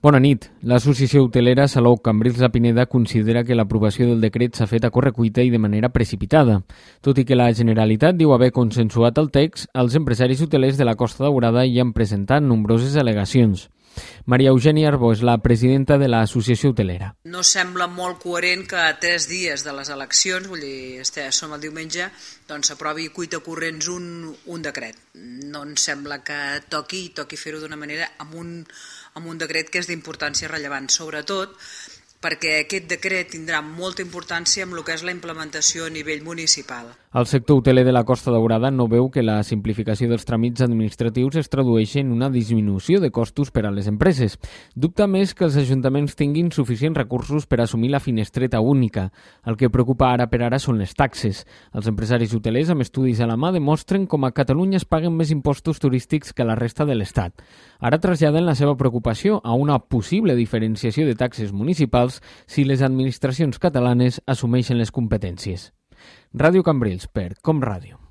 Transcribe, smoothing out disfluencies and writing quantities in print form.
Bona nit. L'associació hotelera Salou Cambrils La Pineda considera que l'aprovació del decret s'ha fet a correcuita i de manera precipitada. Tot i que la Generalitat diu haver consensuat el text, els empresaris hotelers de la Costa Daurada hi han presentat nombroses al·legacions. Maria Eugènia Arbó és la presidenta de l'associació hotelera. No sembla molt coherent que a 3 dies de les eleccions, vull dir, som el diumenge, doncs s'aprovi cuita corrents un decret. No ens sembla que toqui fer-ho d'una manera amb un decret que és d'importància rellevant, sobretot perquè aquest decret tindrà molta importància amb el que és la implementació a nivell municipal. El sector hoteler de la Costa Daurada no veu que la simplificació dels tràmits administratius es tradueixi en una disminució de costos per a les empreses. Dubta més que els ajuntaments tinguin suficients recursos per assumir la finestreta única. El que preocupa ara per ara són les taxes. Els empresaris hotelers, amb estudis a la mà, demostren com a Catalunya es paguen més impostos turístics que la resta de l'Estat. Ara traslladen la seva preocupació a una possible diferenciació de taxes municipals si les administracions catalanes assumeixen les competències. Ràdio Cambrils per Com Ràdio.